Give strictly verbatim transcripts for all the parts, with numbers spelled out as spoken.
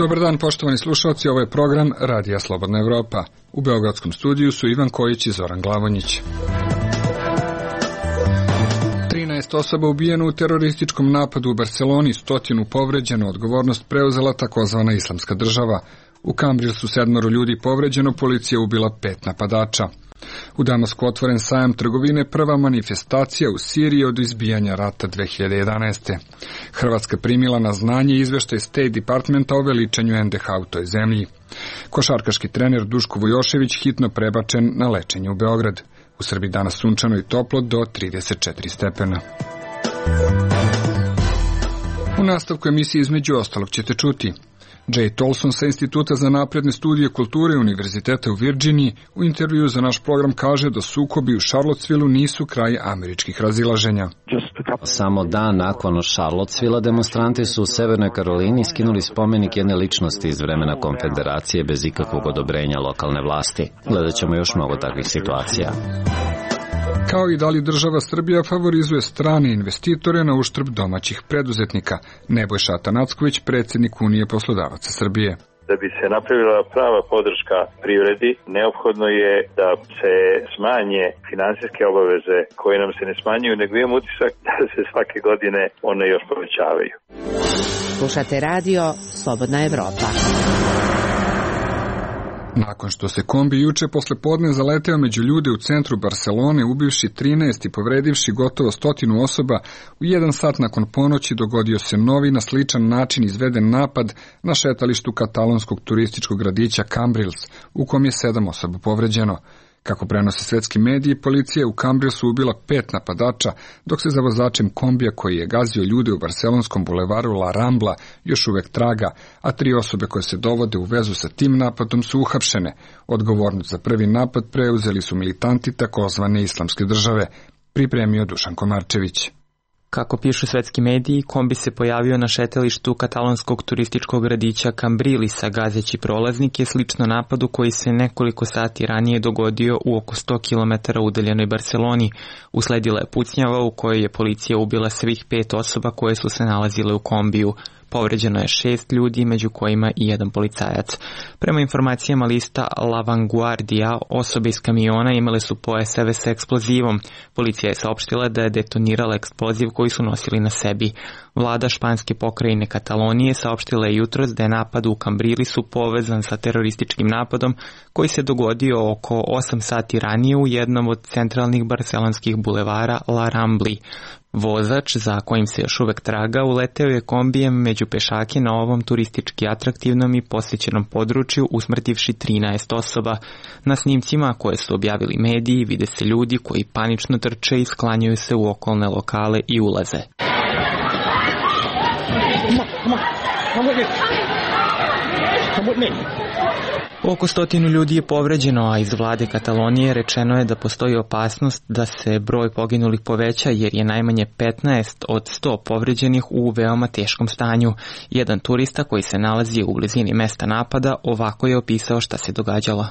Dobar dan, poštovani slušalci, ovo je program Radija Slobodna Evropa. U beogradskom studiju su Ivan Kojić i Zoran Glavonjić. trinaest osoba ubijeno u terorističkom napadu u Barseloni, stotinu povređeno, odgovornost preuzela takozvana Islamska država. U Kambrilsu sedmoro ljudi povređeno, policija ubila pet napadača. U Damasku otvoren sajam trgovine, prva manifestacija u Siriji od izbijanja rata dve hiljade jedanaeste. Hrvatska primila na znanje izveštaj State Departmenta o veličanju en de ha u toj zemlji. Košarkaški trener Duško Vujošević hitno prebačen na lečenje u Beograd. U Srbiji danas sunčano i toplo do trideset četiri stepena. U nastavku emisije između ostalog ćete čuti: Jay Tolson sa Instituta za napredne studije kulture Univerziteta u Virginiji u intervju za naš program kaže da sukobi u Charlottesvilleu nisu kraj američkih razilaženja. Samo dan nakon Charlottesvillea demonstranti su u Severnoj Karolini skinuli spomenik jedne ličnosti iz vremena Konfederacije bez ikakvog odobrenja lokalne vlasti. Gledat ćemo još mnogo takvih situacija. Kao i da li država Srbija favorizuje strane investitore na uštrb domaćih preduzetnika. Nebojša Atanacković, predsjednik Unije poslodavaca Srbije. Da bi se napravila prava podrška privredi, neophodno je da se smanje finansijske obaveze koje nam se ne smanjuju, nego imam utisak da se svake godine one još povećavaju. Slušate radio Slobodna Evropa. Nakon što se kombi juče posle podne zaleteo među ljude u centru Barcelone, ubivši trinaest i povredivši gotovo stotinu osoba, u jedan sat nakon ponoći dogodio se novi na sličan način izveden napad na šetalištu katalonskog turističkog gradića Cambrils, u kom je sedam osoba povređeno. Kako prenose svetski mediji, policija je u Cambrilsu ubila pet napadača, dok se za vozačem kombija koji je gazio ljude u barcelonskom bulevaru La Rambla još uvek traga, a tri osobe koje se dovode u vezu sa tim napadom su uhapšene. Odgovornost za prvi napad preuzeli su militanti takozvane Islamske države, pripremio Dušan Komarčević. Kako pišu svetski mediji, kombi se pojavio na šetalištu katalonskog turističkog gradića Cambrilisa, gazeći prolaznike, slično napadu koji se nekoliko sati ranije dogodio u oko sto kilometara udaljenoj Barceloni. Usledila je pucnjava u kojoj je policija ubila svih pet osoba koje su se nalazile u kombiju. Povređeno je šest ljudi, među kojima i jedan policajac. Prema informacijama lista La Vanguardia, osobe iz kamiona imale su pojaseve sa eksplozivom. Policija je saopštila da je detonirala eksploziv koji su nosili na sebi. Vlada španske pokrajine Katalonije saopštila je jutros da je napad u Cambrilisu povezan sa terorističkim napadom koji se dogodio oko osam sati ranije u jednom od centralnih barcelonskih bulevara La Rambli. Vozač, za kojim se još uvek traga, uleteo je kombijem među pešake na ovom turistički atraktivnom i posjećenom području, usmrtivši trinaest osoba. Na snimcima koje su objavili mediji vide se ljudi koji panično trče i sklanjaju se u okolne lokale i ulaze. Oko stotinu ljudi je povređeno, a iz vlade Katalonije rečeno je da postoji opasnost da se broj poginulih poveća jer je najmanje petnaest od sto povređenih u veoma teškom stanju. Jedan turista koji se nalazi u blizini mesta napada ovako je opisao šta se događalo.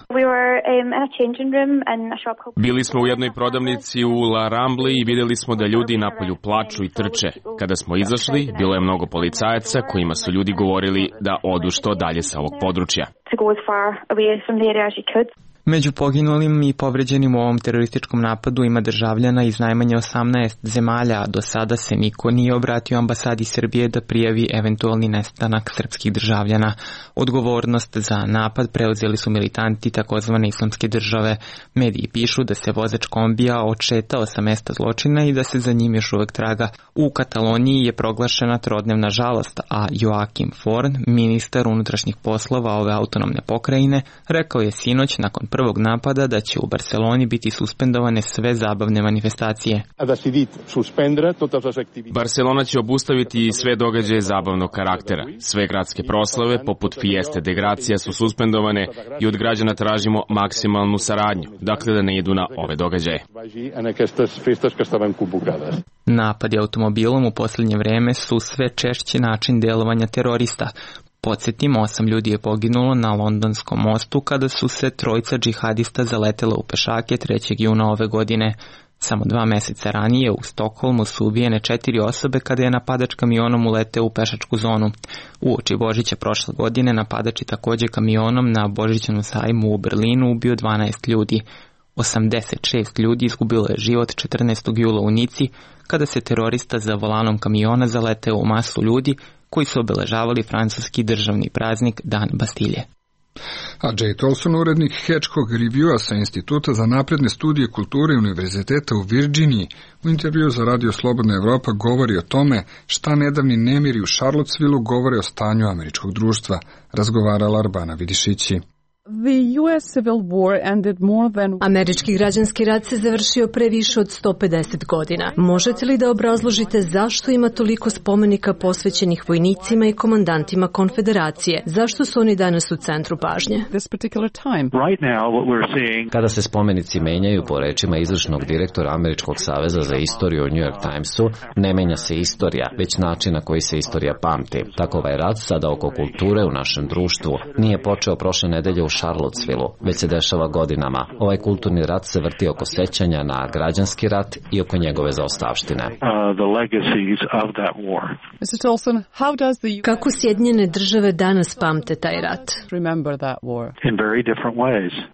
Bili smo u jednoj prodavnici u La Rambli i vidjeli smo da ljudi napolju plaču i trče. Kada smo izašli, bilo je mnogo policajaca kojima su ljudi govorili da odu što dalje sa ovog područja. Među poginulim i povređenim u ovom terorističkom napadu ima državljana iz najmanje osamnaest zemalja, a do sada se niko nije obratio ambasadi Srbije da prijavi eventualni nestanak srpskih državljana. Odgovornost za napad preuzeli su militanti takozvane Islamske države. Mediji pišu da se vozač kombija odšetao sa mesta zločina i da se za njim još uvek traga. U Kataloniji je proglašena trodnevna žalost, a Joakim Forn, ministar unutrašnjih poslova ove autonomne pokrajine, rekao je sinoć nakon prvog napada da će u Barceloni biti suspendovane sve zabavne manifestacije. Barcelona će obustaviti sve događaje zabavnog karaktera. Sve gradske proslave, poput Fieste de Gracia, su suspendovane i od građana tražimo maksimalnu saradnju, dakle da ne idu na ove događaje. Napadi automobilom u posljednje vreme su sve češći način delovanja terorista. Podsjetimo, osam ljudi je poginulo na Londonskom mostu kada su se trojica džihadista zaletela u pešake trećeg juna ove godine. Samo dva meseca ranije u Stokholmu su ubijene četiri osobe kada je napadač kamionom uleteo u pešačku zonu. Uoči Božića prošle godine napadač je takođe kamionom na Božićnom sajmu u Berlinu ubio dvanaest ljudi. osamdeset šest ljudi izgubilo je život četrnaestog jula u Nici kada se terorista za volanom kamiona zaleteo u masu ljudi koji su obeležavali francuski državni praznik Dan Bastilje. A Jay Tolson, urednik Hedgehog Reviewa sa Instituta za napredne studije kulture Univerziteta u Virginiji, u intervju za Radio Slobodna Evropa govori o tome šta nedavni nemiri u Charlottesvilleu govore o stanju američkog društva, razgovarala Arbana Vidišići. Američki građanski rat se završio pre više od sto pedeset godina. Možete li da obrazložite zašto ima toliko spomenika posvećenih vojnicima i komandantima konfederacije? Zašto su oni danas u centru pažnje? Kada se spomenici menjaju, po rečima izvršnog direktora Američkog saveza za istoriju u New York Timesu, ne menja se istorija, već način na koji se istorija pamti. Tako ovaj rat sada oko kulture u našem društvu nije počeo prošle nedelje u Charlottesvilleu, već se dešava godinama. Ovaj kulturni rat se vrti oko sećanja na građanski rat i oko njegove zaostavštine. Kako Sjedinjene države danas pamte taj rat?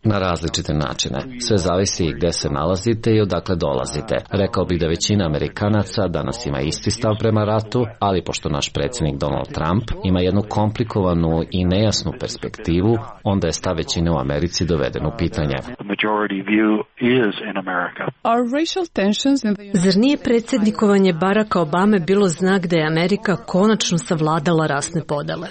Na različite načine. Sve zavisi i gde se nalazite i odakle dolazite. Rekao bih da većina Amerikanaca danas ima isti stav prema ratu, ali pošto naš predsjednik Donald Trump ima jednu komplikovanu i nejasnu perspektivu, onda je stav većine u Americi doveden u pitanje. Zar nije predsjednikovanje Baracka Obame bilo znak da je Amerika konačno savladala rasne podele?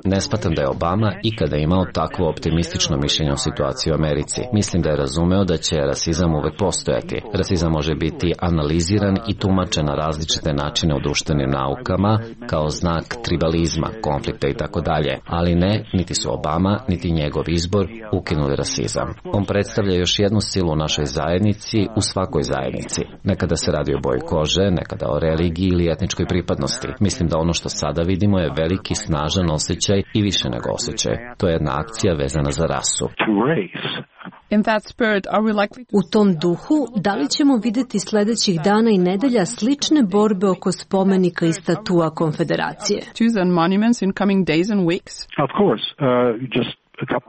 Ne shvatam da je Obama ikada imao takvo optimistično mišljenje o situaciji u Americi. Mislim da je razumeo da će rasizam uvek postojati. Rasizam može biti analiziran i tumačen na različite načine u društvenim naukama kao znak tribalizma, konflikta i tako dalje. Ali ne, niti su Obama, niti njegov izbor ukinuli rasizam. On predstavlja još jednu silu u našoj zajednici, u svakoj zajednici. Nekada se radi o boji kože, nekada o religiji ili etničkoj pripadnosti. Mislim da ono što sada vidimo je veliki snažan osjećaj i više nego osjećaj. To je jedna akcija vezana za rasu. U tom duhu, da li ćemo videti sledećih dana i nedelja slične borbe oko spomenika i statua konfederacije?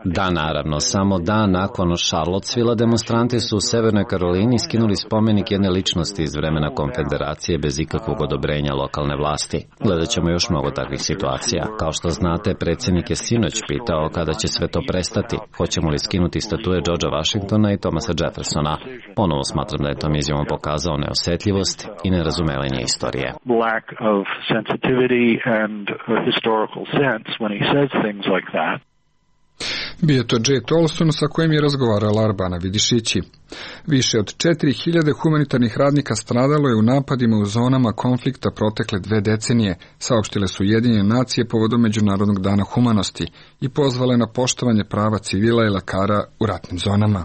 Da, naravno. Samo dan nakon Charlottesvillea demonstranti su u Severnoj Karolini skinuli spomenik jedne ličnosti iz vremena konfederacije bez ikakvog odobrenja lokalne vlasti. Gledat ćemo još mnogo takvih situacija. Kao što znate, predsjednik je sinoć pitao kada će sve to prestati. Hoćemo li skinuti statue Georgea Washingtona i Thomasa Jeffersona? Ponovo smatram da je tom izjavom pokazao neosetljivost i nerazumevanje istorije. Lack of sensitivity and historical sense when he says things like that. Bio to Jay Tolson sa kojim je razgovarala Arbana Vidišići. Više od četiri hiljade humanitarnih radnika stradalo je u napadima u zonama konflikta protekle dve decenije, saopštile su Ujedinjene nacije povodom Međunarodnog dana humanosti i pozvale na poštovanje prava civila i lekara u ratnim zonama.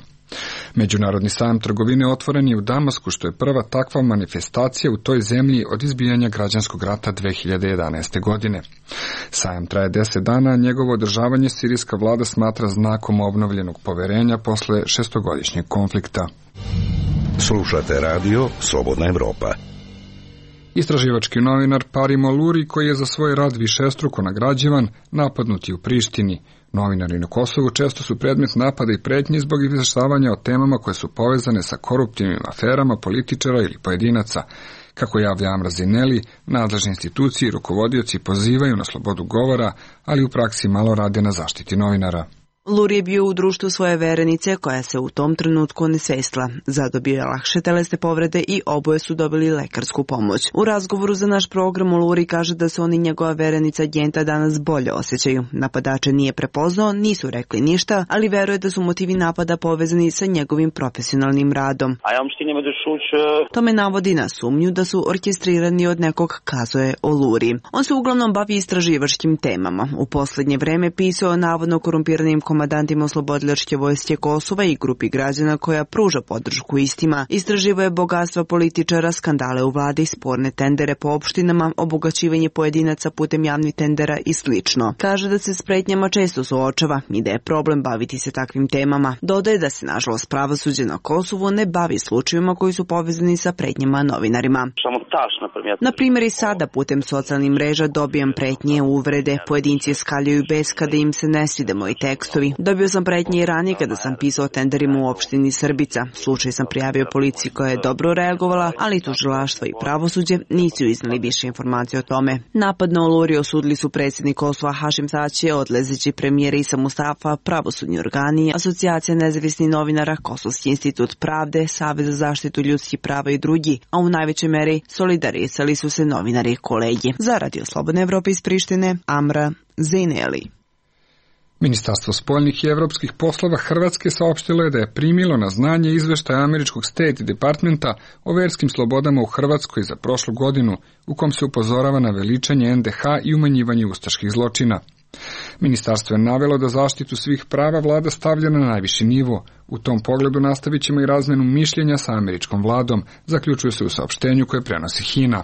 Međunarodni sajam trgovine otvoren je u Damasku, što je prva takva manifestacija u toj zemlji od izbijanja građanskog rata dve hiljade jedanaeste. godine. Sajam traje deset dana, a njegovo održavanje sirijska vlada smatra znakom obnovljenog poverenja posle šestogodišnjeg konflikta. Slušate radio Slobodna Evropa. Istraživački novinar Parimo Luri, koji je za svoj rad višestruko nagrađivan, napadnut je u Prištini. Novinari na Kosovu često su predmet napada i pretnji zbog izveštavanja o temama koje su povezane sa koruptivnim aferama političara ili pojedinaca. Kako javlja Amra Zineli, nadležne institucije i rukovodioci pozivaju na slobodu govora, ali u praksi malo rade na zaštiti novinara. Luri je bio u društvu svoje verenice koja se u tom trenutku onesvestila. Zadobio je lakše telesne povrede i oboje su dobili lekarsku pomoć. U razgovoru za naš program Luri kaže da se on i njegova verenica Gjenta danas bolje osjećaju. Napadače nije prepoznao, nisu rekli ništa, ali veruje da su motivi napada povezani sa njegovim profesionalnim radom. Tome navodi na sumnju da su orkestrirani od nekog, kazuje o Luri. On se uglavnom bavi istraživačkim temama. U poslednje vreme pisao o navodno korumpiranim komentarima komandantima oslobodilačke vojske Kosova i grupi građana koja pruža podršku istima. Istraživo je bogatstva političara, skandale u vladi, sporne tendere po opštinama, obogaćivanje pojedinaca putem javnih tendera i slično. Kaže da se s pretnjama često suočava i da je problem baviti se takvim temama. Dodaje da se, nažalost, pravosuđe na Kosovu ne bavi slučajevima koji su povezani sa pretnjama novinarima. Na primjer, i sada putem socijalnih mreža dobijam pretnje, uvrede, pojedinci skaljaju bes kada im se ne svide moji tekstovi. Dobio sam pretnje i ranije kada sam pisao o tenderima u opštini Srbica. Slučaj sam prijavio policiji koja je dobro reagovala, ali tužilaštvo i pravosuđe nisu iznali više informacije o tome. Napad na Oluri osudili su predsjednik Kosova Hašim Tači, odlazeći premijer Isa Mustafa, pravosudni organi, Asocijacija nezavisnih novinara, Kosovski institut pravde, Savez za zaštitu ljudskih prava i drugi, a u najvećoj meri solidarisali su se novinari i kolegi. Za Radio Slobodne Evrope iz Prištine, Amra Zejneli. Ministarstvo spoljnih i evropskih poslova Hrvatske saopštilo je da je primilo na znanje izveštaj američkog State Departmenta o verskim slobodama u Hrvatskoj za prošlu godinu, u kom se upozorava na veličanje en de ha i umanjivanje ustaških zločina. Ministarstvo je navelo da zaštitu svih prava vlada stavlja na najviši nivo. U tom pogledu nastavit ćemo i razmenu mišljenja sa američkom vladom, zaključuje se u saopštenju koje prenosi Hina.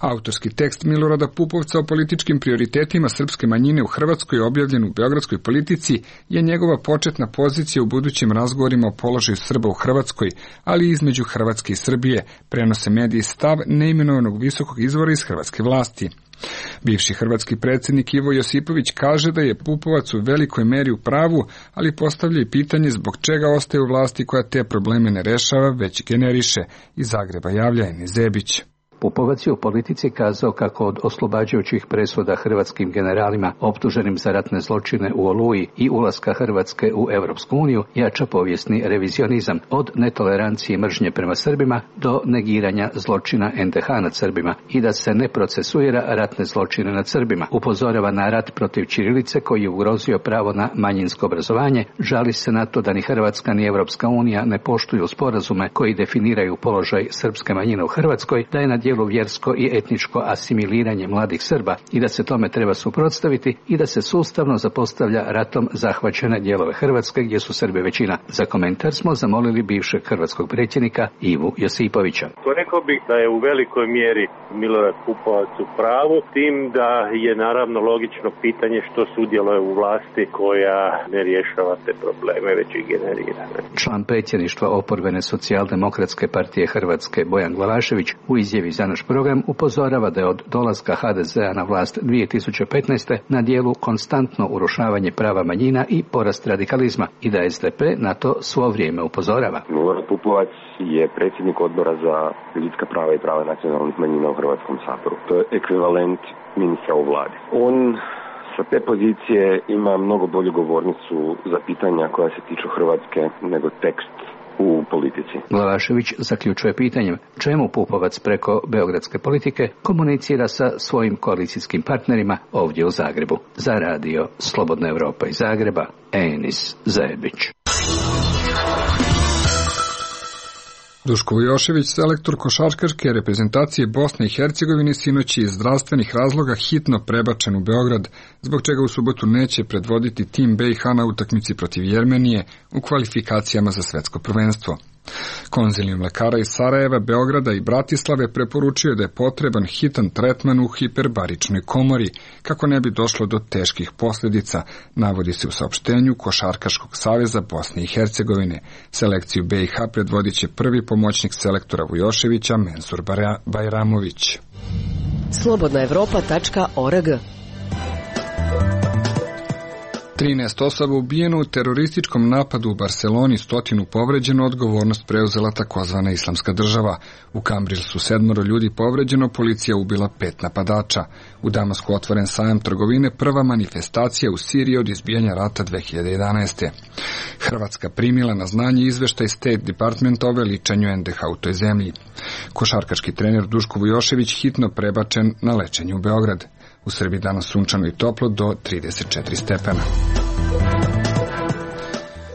Autorski tekst Milorada Pupovca o političkim prioritetima srpske manjine u Hrvatskoj objavljen u Beogradskoj politici je njegova početna pozicija u budućim razgovorima o položaju Srba u Hrvatskoj, ali i između Hrvatske i Srbije, prenose mediji stav neimenovanog visokog izvora iz hrvatske vlasti. Bivši hrvatski predsjednik Ivo Josipović kaže da je Pupovac u velikoj meri u pravu, ali postavlja i pitanje zbog čega ostaje u vlasti koja te probleme ne rešava, već generiše. Iz Zagreba javlja Eni Zebić. Pupovac je u politici kazao kako od oslobađajućih presuda hrvatskim generalima optuženim za ratne zločine u Oluji i ulaska Hrvatske u Europsku uniju jača povijesni revizionizam od netolerancije i mržnje prema Srbima do negiranja zločina en de ha nad Srbima i da se ne procesuira ratne zločine nad Srbima. Upozorava na rat protiv ćirilice koji je ugrozio pravo na manjinsko obrazovanje, žali se na to da ni Hrvatska ni Europska unija ne poštuju sporazume koji definiraju položaj srpske manjine u Hrvatskoj, da je na dijelu vjersko i etničko asimiliranje mladih Srba i da se tome treba suprotstaviti i da se sustavno zapostavlja ratom zahvaćene dijelove Hrvatske gdje su Srbi većina. Za komentar smo zamolili bivšeg hrvatskog predsjednika Ivu Josipovića. Rekao bih da je u velikoj mjeri Milorad Pupovac u pravu, tim da je naravno logično pitanje što sudjeluje u vlasti koja ne rješava te probleme, već ih generira. Član predsjedništva oporbene socijaldemokratske partije Hrvatske Bojan Glavašević u izjavi za naš program upozorava da je od dolaska ha de zea na vlast dvije tisuće petnaeste. na dijelu konstantno urušavanje prava manjina i porast radikalizma i da es de pe na to svo vrijeme upozorava. Milorad Pupovac je predsjednik odbora za ljudska prava i prava nacionalnih manjina u Hrvatskom saboru. To je ekvivalent ministra u vladi. On sa te pozicije ima mnogo bolju govornicu za pitanja koja se tiču Hrvatske nego tekst u politici. Glavašević zaključuje pitanjem čemu Pupovac preko beogradske politike komunicira sa svojim koalicijskim partnerima ovdje u Zagrebu. Za radio Slobodna Evropa iz Zagreba, Enis Zebić. Duško Vujošević, selektor košarkaške reprezentacije Bosne i Hercegovine, sinoć je iz zdravstvenih razloga hitno prebačen u Beograd, zbog čega u subotu neće predvoditi tim be i ha na utakmici protiv Jermenije u kvalifikacijama za svetsko prvenstvo. Konzilijum lekara iz Sarajeva, Beograda i Bratislave preporučio da je potreban hitan tretman u hiperbaričnoj komori, kako ne bi došlo do teških posljedica, navodi se u saopštenju Košarkaškog saveza Bosne i Hercegovine. Selekciju be i ha predvodit će prvi pomoćnik selektora Vujoševića, Mensur Bajramović. slobodna evropa tačka org trinaest osoba ubijeno u terorističkom napadu u Barseloni, stotinu povređeno, odgovornost preuzela takozvana Islamska država. U Kambril su sedmoro ljudi povređeno, policija ubila pet napadača. U Damasku otvoren sajam trgovine, prva manifestacija u Siriji od izbijanja rata dve hiljade jedanaeste. Hrvatska primila na znanje izveštaj State Departmenta o veličanju en de ha u toj zemlji. Košarkaški trener Duško Vujošević hitno prebačen na lečenje u Beograd. U Srbiji danas sunčano i toplo do trideset četiri stepena.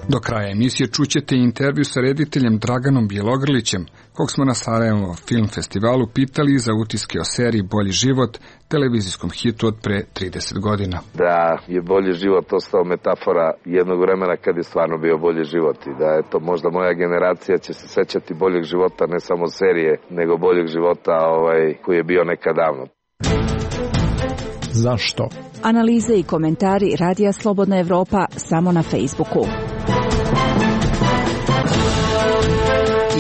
Do kraja emisije čućete intervju sa rediteljem Draganom Bjelogrlićem, kog smo na Sarajevo Film Festivalu pitali za utiske o seriji Bolji život, televizijskom hitu od pre trideset godina. Da je Bolji život ostao metafora jednog vremena kad je stvarno bio bolji život i da je to možda moja generacija će se sećati boljeg života, ne samo serije, nego boljeg života ovaj, koji je bio nekad davno. Zašto? Analize i komentari Radija Slobodna Evropa samo na Facebooku.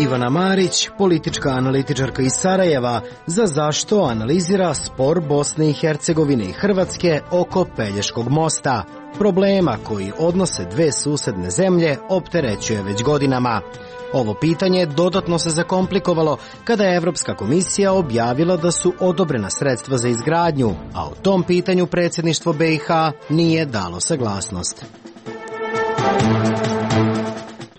Ivana Marić, politička analitičarka iz Sarajeva, za Zašto analizira spor Bosne i Hercegovine i Hrvatske oko Pelješkog mosta, problema koji odnose dve susedne zemlje opterećuje već godinama. Ovo pitanje dodatno se zakomplikovalo kada je Evropska komisija objavila da su odobrena sredstva za izgradnju, a o tom pitanju predsjedništvo B i H nije dalo saglasnost.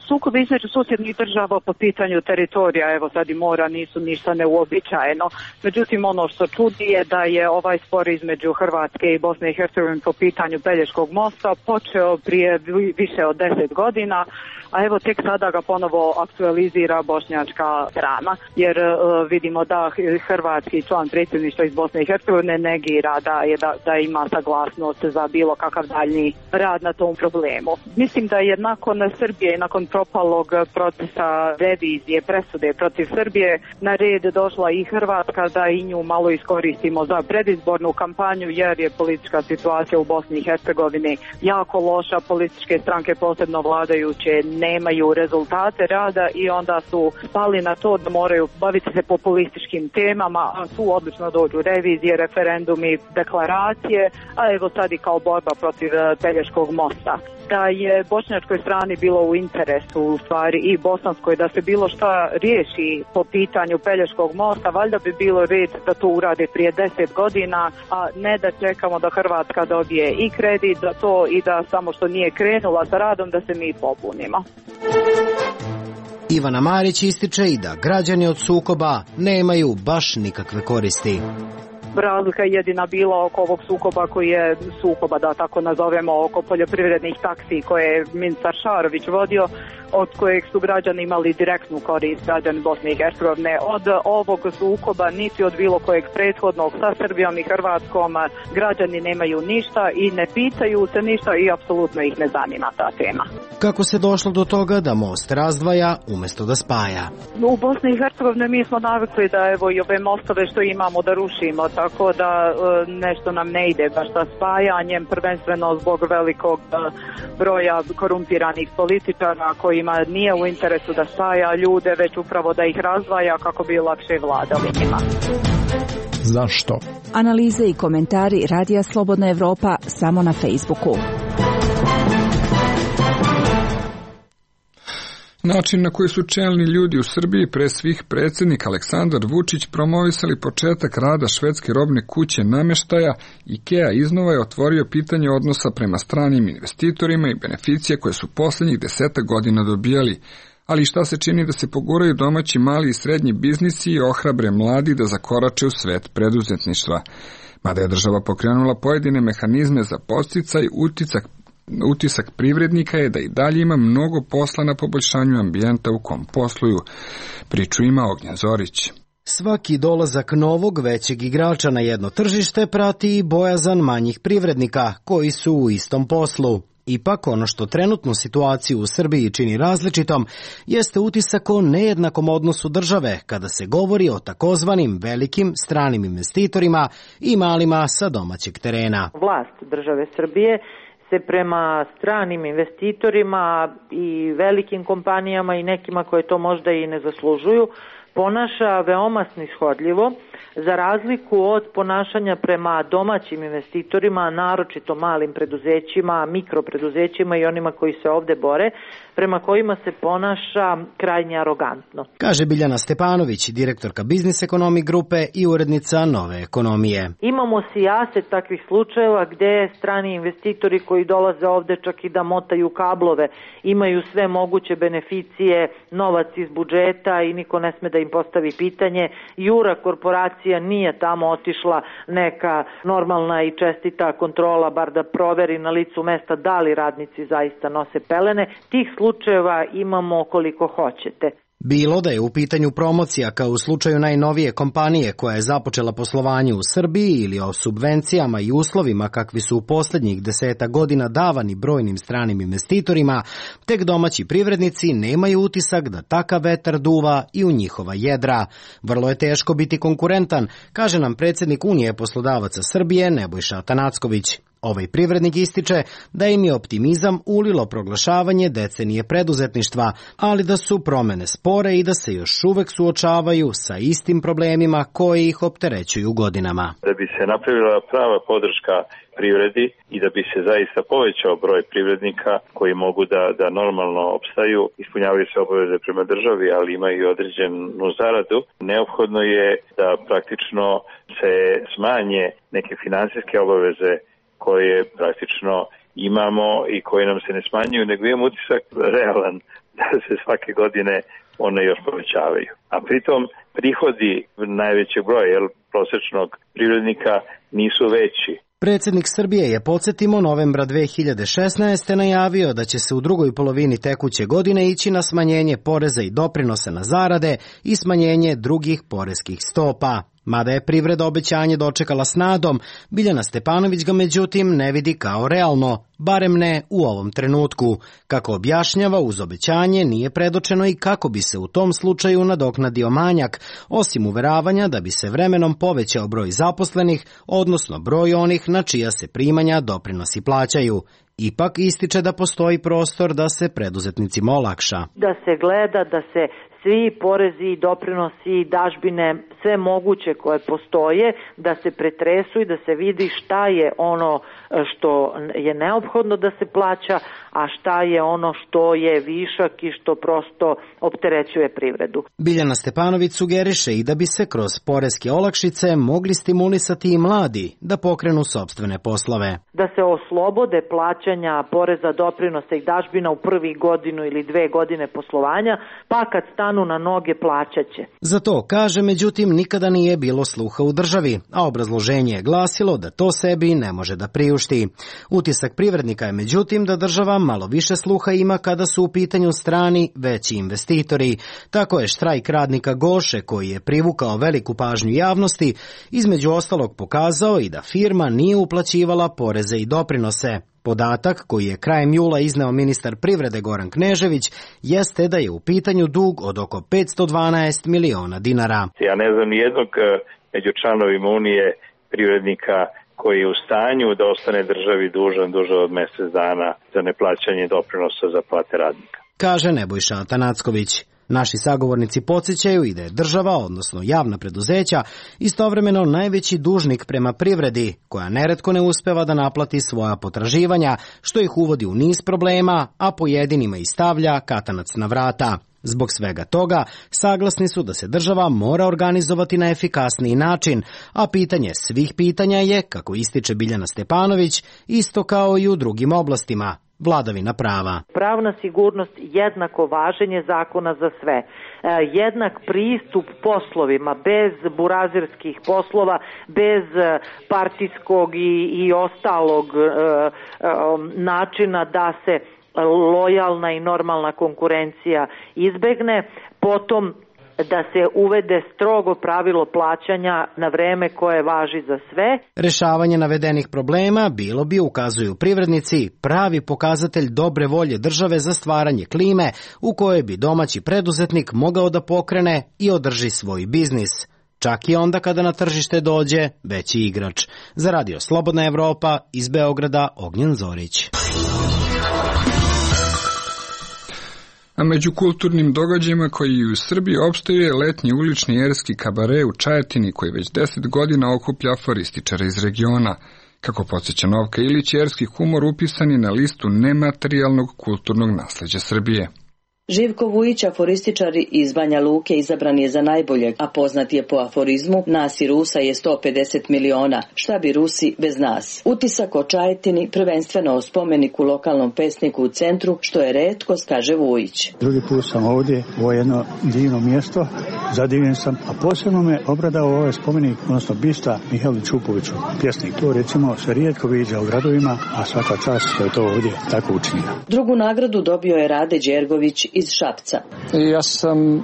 Sukobi između susjednih država po pitanju teritorija, evo sad i mora, nisu ništa neuobičajeno. Međutim, ono što čudi je da je ovaj spor između Hrvatske i Bosne i Hercegovine po pitanju Pelješkog mosta počeo prije više od deset godina, a evo tek sada ga ponovo aktualizira bošnjačka strana, jer uh, vidimo da hrvatski član predsjedništva iz Bosne i Hercegovine negira da, je, da, da ima saglasnost za bilo kakav daljnji rad na tom problemu. Mislim da je nakon Srbije i nakon propalog procesa revizije, presude protiv Srbije, na red došla i Hrvatska da i nju malo iskoristimo za predizbornu kampanju, jer je politička situacija u Bosni i Hercegovini jako loša, političke stranke, posebno vladajuće, nemaju rezultate rada i onda su spali na to da moraju baviti se populističkim temama, a tu odlično dođu revizije, referendumi, deklaracije, a evo sad i kao borba protiv Pelješkog mosta. Da je bošnjačkoj strani bilo u interesu, u stvari i bosanskoj, da se bilo šta riješi po pitanju Pelješkog mosta, valjda bi bilo red da to urade prije deset godina, a ne da čekamo da Hrvatska dobije i kredit za to i da samo što nije krenula sa radom da se mi pobunimo. Ivana Marić ističe i da građani od sukoba nemaju baš nikakve koristi. Razlika je jedina bila oko ovog sukoba koji je sukoba, da tako nazovemo, oko poljoprivrednih taksi koje je ministar Šarović vodio, od kojeg su građani imali direktnu korist, građani Bosne i Hercegovine. Od ovog sukoba niti od bilo kojeg prethodnog sa Srbijom i Hrvatskom građani nemaju ništa i ne pitaju se ništa i apsolutno ih ne zanima ta tema. Kako se došlo do toga da most razdvaja umjesto da spaja? U Bosni i Hercegovini mi smo navikli da evo i ove mostove što imamo da rušimo, tako da nešto nam ne ide baš sa spajanjem, prvenstveno zbog velikog broja korumpiranih političara kojima nije u interesu da spaja ljude, već upravo da ih razdvaja kako bi lakše vladali njima. Zašto? Analize i komentari Radija Slobodna Evropa samo na Facebooku. Način na koji su čelni ljudi u Srbiji, pre svih predsjednik Aleksandar Vučić, promovisali početak rada švedske robne kuće namještaja, IKEA iznova je otvorio pitanje odnosa prema stranim investitorima i beneficije koje su posljednjih deseta godina dobijali. Ali šta se čini da se poguraju domaći mali i srednji biznisi i ohrabre mladi da zakorače u svet preduzetništva. Mada je država pokrenula pojedine mehanizme za podsticaj, uticak Utisak privrednika je da i dalje ima mnogo posla na poboljšanju ambijenta u kom posluju. Priču ima Ognjen Zorić. Svaki dolazak novog većeg igrača na jedno tržište prati i bojazan manjih privrednika koji su u istom poslu. Ipak ono što trenutnu situaciju u Srbiji čini različitom jeste utisak o nejednakom odnosu države kada se govori o takozvanim velikim stranim investitorima i malima sa domaćeg terena. Vlast države Srbije se prema stranim investitorima i velikim kompanijama i nekima koje to možda i ne zaslužuju ponaša veoma snishodljivo, za razliku od ponašanja prema domaćim investitorima, naročito malim preduzećima, mikropreduzećima i onima koji se ovde bore, prema kojima se ponaša krajnje arogantno. Kaže Biljana Stepanović, direktorka Biznis Ekonomi grupe i urednica Nove ekonomije. Imamo sijaset takvih slučajeva gde strani investitori koji dolaze ovde čak i da motaju kablove, imaju sve moguće beneficije, novac iz budžeta i niko ne sme da im postavi pitanje, jura korporacije policija nije tamo otišla neka normalna i čestita kontrola, bar da proveri na licu mesta da li radnici zaista nose pelene. Tih slučajeva imamo koliko hoćete. Bilo da je u pitanju promocija kao u slučaju najnovije kompanije koja je započela poslovanje u Srbiji ili o subvencijama i uslovima kakvi su u posljednjih deseta godina davani brojnim stranim investitorima, tek domaći privrednici nemaju utisak da takav vetar duva i u njihova jedra. Vrlo je teško biti konkurentan, kaže nam predsjednik Unije poslodavaca Srbije Nebojša Atanacković. Ovaj privrednik ističe da im je optimizam ulilo proglašavanje decenije preduzetništva, ali da su promene spore i da se još uvek suočavaju sa istim problemima koji ih opterećuju godinama. Da bi se napravila prava podrška privredi i da bi se zaista povećao broj privrednika koji mogu da, da normalno opstaju, ispunjavaju se obaveze prema državi, ali imaju i određenu zaradu, neophodno je da praktično se smanje neke finansijske obaveze koje praktično imamo i koje nam se ne smanjuju, nego imamo utisak realan da se svake godine one još povećavaju. A pritom prihodi najvećeg broja, jer prosječnog privrednika nisu veći. Predsjednik Srbije je, podsjetimo, novembra dve hiljade šesnaeste. najavio da će se u drugoj polovini tekuće godine ići na smanjenje poreza i doprinosa na zarade i smanjenje drugih poreskih stopa. Mada je privreda obećanje dočekala s nadom, Biljana Stepanović ga međutim ne vidi kao realno, barem ne u ovom trenutku. Kako objašnjava, uz obećanje nije predočeno i kako bi se u tom slučaju nadoknadio manjak, osim uveravanja da bi se vremenom povećao broj zaposlenih, odnosno broj onih na čija se primanja doprinosi plaćaju. Ipak ističe da postoji prostor da se preduzetnicima olakša. Da se gleda, da se svi porezi, doprinosi, dažbine, sve moguće koje postoje, da se pretresu i da se vidi šta je ono što je neophodno da se plaća, a šta je ono što je višak i što prosto opterećuje privredu. Biljana Stepanović sugeriše i da bi se kroz poreske olakšice mogli stimulisati i mladi da pokrenu sopstvene poslove. Da se oslobode plaćanja poreza, doprinosa i dažbina u prvi godinu ili dve godine poslovanja, pa kad stanu na noge plaćaće. Za to, kaže, međutim, nikada nije bilo sluha u državi, a obrazloženje je glasilo da to sebi ne može da priušti. Utisak privrednika je, međutim, da država malo više sluha ima kada su u pitanju strani veći investitori. Tako je štrajk radnika Goše, koji je privukao veliku pažnju javnosti, između ostalog pokazao i da firma nije uplaćivala poreze i doprinose. Podatak koji je krajem jula izneo ministar privrede Goran Knežević jeste da je u pitanju dug od oko petsto dvanaest miliona dinara. Ja ne znam nijednog među članovima Unije privrednika koji je u stanju da ostane državi dužan duže od mjesec dana za neplaćanje doprinosa za plate radnika, kaže Nebojša Atanacković. Naši sagovornici podsjećaju i da je država, odnosno javna preduzeća, istovremeno najveći dužnik prema privredi, koja neretko ne uspeva da naplati svoja potraživanja, što ih uvodi u niz problema, a pojedinima i stavlja katanac na vrata. Zbog svega toga, saglasni su da se država mora organizovati na efikasniji način, a pitanje svih pitanja je, kako ističe Biljana Stepanović, isto kao i u drugim oblastima. Vladavina prava. Pravna sigurnost, jednako važenje zakona za sve. E, jednak pristup poslovima, bez burazirskih poslova, bez partijskog i, i ostalog e, e, načina da se lojalna i normalna konkurencija izbegne. Potom da se uvede strogo pravilo plaćanja na vreme koje važi za sve. Rešavanje navedenih problema bilo bi, ukazuju privrednici, pravi pokazatelj dobre volje države za stvaranje klime u kojoj bi domaći preduzetnik mogao da pokrene i održi svoj biznis. Čak i onda kada na tržište dođe veći igrač. Za Radio Slobodna Evropa, iz Beograda, Ognjen Zorić. A među kulturnim događajima koji u Srbiji opstaju je letnji ulični erski kabare u Čajetini, koji već deset godina okuplja aforističara iz regiona. Kako podsjeća Novka Ilić, erski humor upisan je na listu nematerijalnog kulturnog nasleđa Srbije. Živko Vujić, aforističar iz Banja Luke, izabran je za najboljeg, a poznat je po aforizmu "Nas i Rusa je sto pedeset miliona, šta bi Rusi bez nas". Utisak o Čajetini, prvenstveno o spomeniku lokalnom pesniku u centru, što je retkost, kaže Vujić. Drugi put sam ovdje, ovo je jedno divno mjesto, zadivljen sam, a posebno me obradao ovaj spomenik, odnosno bista Mihajlu Čupoviću, pjesnik. To recimo se rijetko viđa u gradovima, a svaka čast što je to ovdje tako učinio. Drugu nagradu dobio je Rade Đergović iz Šapca. Ja sam e,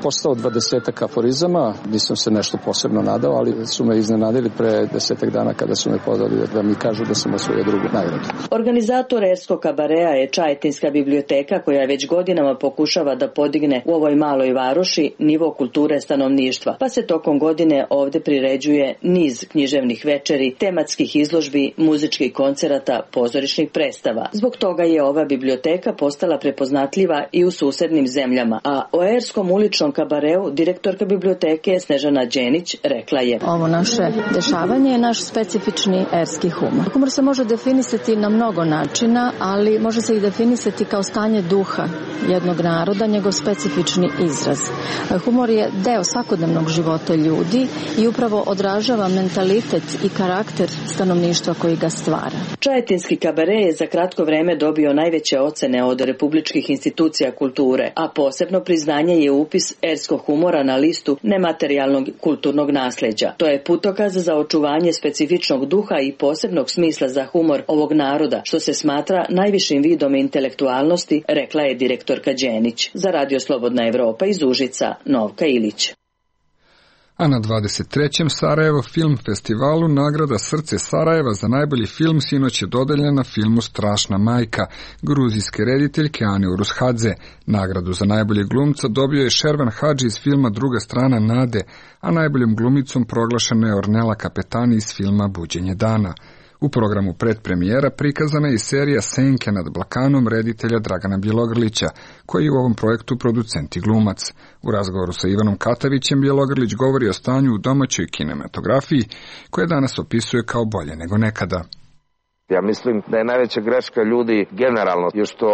postao dvadesetak aforizama, nisam se nešto posebno nadao, ali su me iznenadili pre desetak dana kada su me pozvali da mi kažu da sam osvojio drugu nagradu. Organizator Erskog kabarea je Čajetinska biblioteka, koja već godinama pokušava da podigne u ovoj maloj varoši nivo kulture stanovništva, pa se tokom godine ovdje priređuje niz književnih večeri, tematskih izložbi, muzičkih koncerata, pozorišnih predstava. Zbog toga je ova biblioteka postala prepoznatljiva i u susednim zemljama, a o Erskom uličnom kabareu direktorka biblioteke Snežana Đenić rekla je: Ovo naše dešavanje je naš specifični erski humor. Humor se može definisati na mnogo načina, ali može se i definisati kao stanje duha jednog naroda, njegov specifični izraz. Humor je deo svakodnevnog života ljudi i upravo odražava mentalitet i karakter stanovništva koji ga stvara. Čajetinski kabare je za kratko vreme dobio najveće ocene od republičkih institucija kulture, a posebno priznanje je upis erskog humora na listu nematerijalnog kulturnog nasljeđa. To je putokaz za očuvanje specifičnog duha i posebnog smisla za humor ovog naroda, što se smatra najvišim vidom intelektualnosti, rekla je direktorka Đenić. Za Radio Slobodna Evropa iz Užica, Novka Ilić. A na dvadeset trećem Sarajevo film festivalu nagrada Srce Sarajeva za najbolji film sinoć je dodeljena filmu Strašna majka gruzijske rediteljke Ane Urushadze. Nagradu za najboljeg glumca dobio je Šervan Hadži iz filma Druga strana Nade, a najboljom glumicom proglašena je Ornela Kapetani iz filma Buđenje dana. U programu predpremijera prikazana je i serija Senke nad Balkanom reditelja Dragana Bjelogrlića, koji je u ovom projektu producent i glumac. U razgovoru sa Ivanom Katavićem Bjelogrlić govori o stanju u domaćoj kinematografiji, koje danas opisuje kao bolje nego nekada. Ja mislim da je najveća greška ljudi generalno još što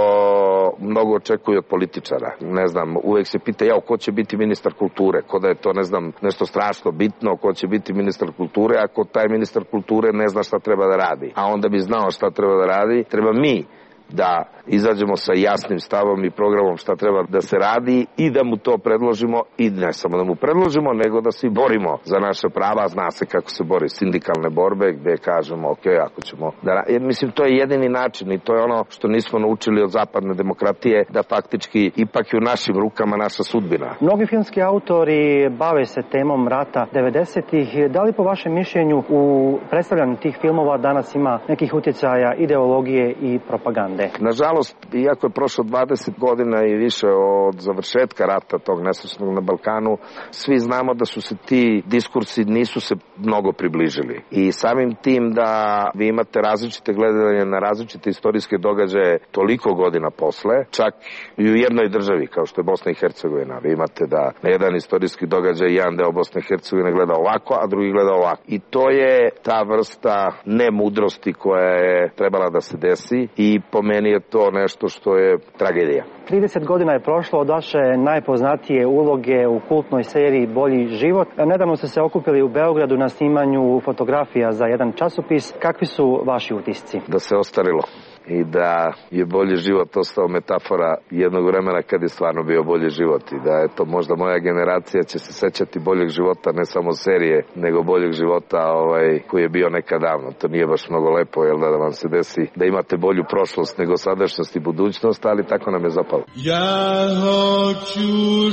mnogo očekuju od političara. Ne znam, uvek se pita ja ko će biti ministar kulture, ko da je to ne znam nešto strašno bitno, ko će biti ministar kulture, ako taj ministar kulture ne zna šta treba da radi. A onda bi znao šta treba da radi, treba mi da izađemo sa jasnim stavom i programom šta treba da se radi i da mu to predložimo i ne samo da mu predložimo, nego da se borimo za naše prava. Zna se kako se bori sindikalne borbe gde kažemo ok, ako ćemo da... Jer, mislim, to je jedini način i to je ono što nismo naučili od zapadne demokratije, da faktički ipak je u našim rukama naša sudbina. Mnogi filmski autori bave se temom rata devedesetih. Da li po vašem mišljenju u predstavljanju tih filmova danas ima nekih utjecaja ideologije i propagande? Nažalost, iako je prošlo dvadeset godina i više od završetka rata tog nesrećnog na Balkanu, svi znamo da su se ti diskursi nisu se mnogo približili. I samim tim da vi imate različite gledanje na različite istorijske događaje toliko godina posle, čak i u jednoj državi kao što je Bosna i Hercegovina. Vi imate da na jedan istorijski događaj jedan deo Bosne i Hercegovine gleda ovako, a drugi gleda ovako. I to je ta vrsta nemudrosti koja je trebala da se desi i po meni je to nešto što je tragedija. trideset godina je prošlo od vaše najpoznatije uloge u kultnoj seriji Bolji život. Nedavno ste se okupili u Beogradu na snimanju fotografija za jedan časopis. Kakvi su vaši utisci? Da se ostarilo i da je bolji život ostao metafora jednog vremena kad je stvarno bio bolji život i da je to možda moja generacija će se sećati boljeg života, ne samo serije, nego boljeg života ovaj, koji je bio nekad davno. To nije baš mnogo lepo, jel da, da vam se desi da imate bolju prošlost nego sadašnjost i budućnost, ali tako nam je zapalo. Ja hoću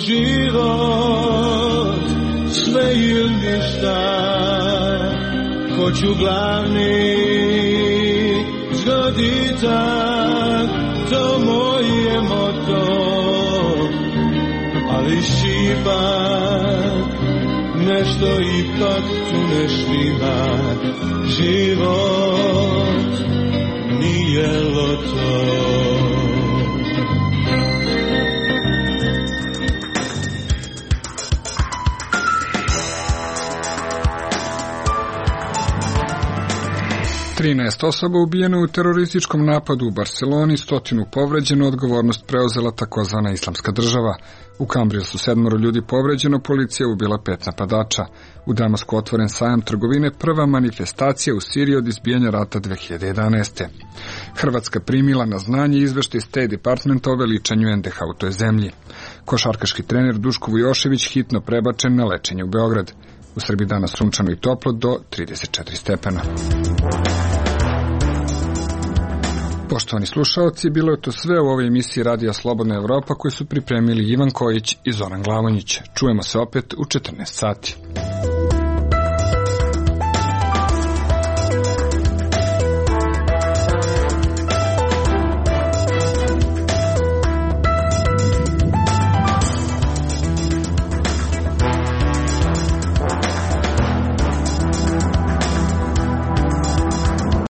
život, sve ili ništa, hoću glavni zgoditak, to moje moto, ali šipak, nešto ipak tu ne štima, život nije loto. trinaest osoba ubijeno u terorističkom napadu u Barseloni, stotinu povređeno, odgovornost preuzela takozvana Islamska država. U Kambriju su sedmoro ljudi povređeno, policija ubila pet napadača. U Damasku otvoren sajam trgovine, prva manifestacija u Siriji od izbijanja rata dve hiljade jedanaeste. Hrvatska primila na znanje izveštaj State Departmenta o veličanju en de ha u toj zemlji. Košarkaški trener Duško Vujošević hitno prebačen na lečenje u Beograd. U Srbiji danas sunčano i toplo do trideset četiri stepena. Poštovani slušaoci, bilo je to sve u ovoj emisiji Radija Slobodna Evropa koju su pripremili Ivan Kojić i Zoran Glavonjić. Čujemo se opet u četrnaest sati.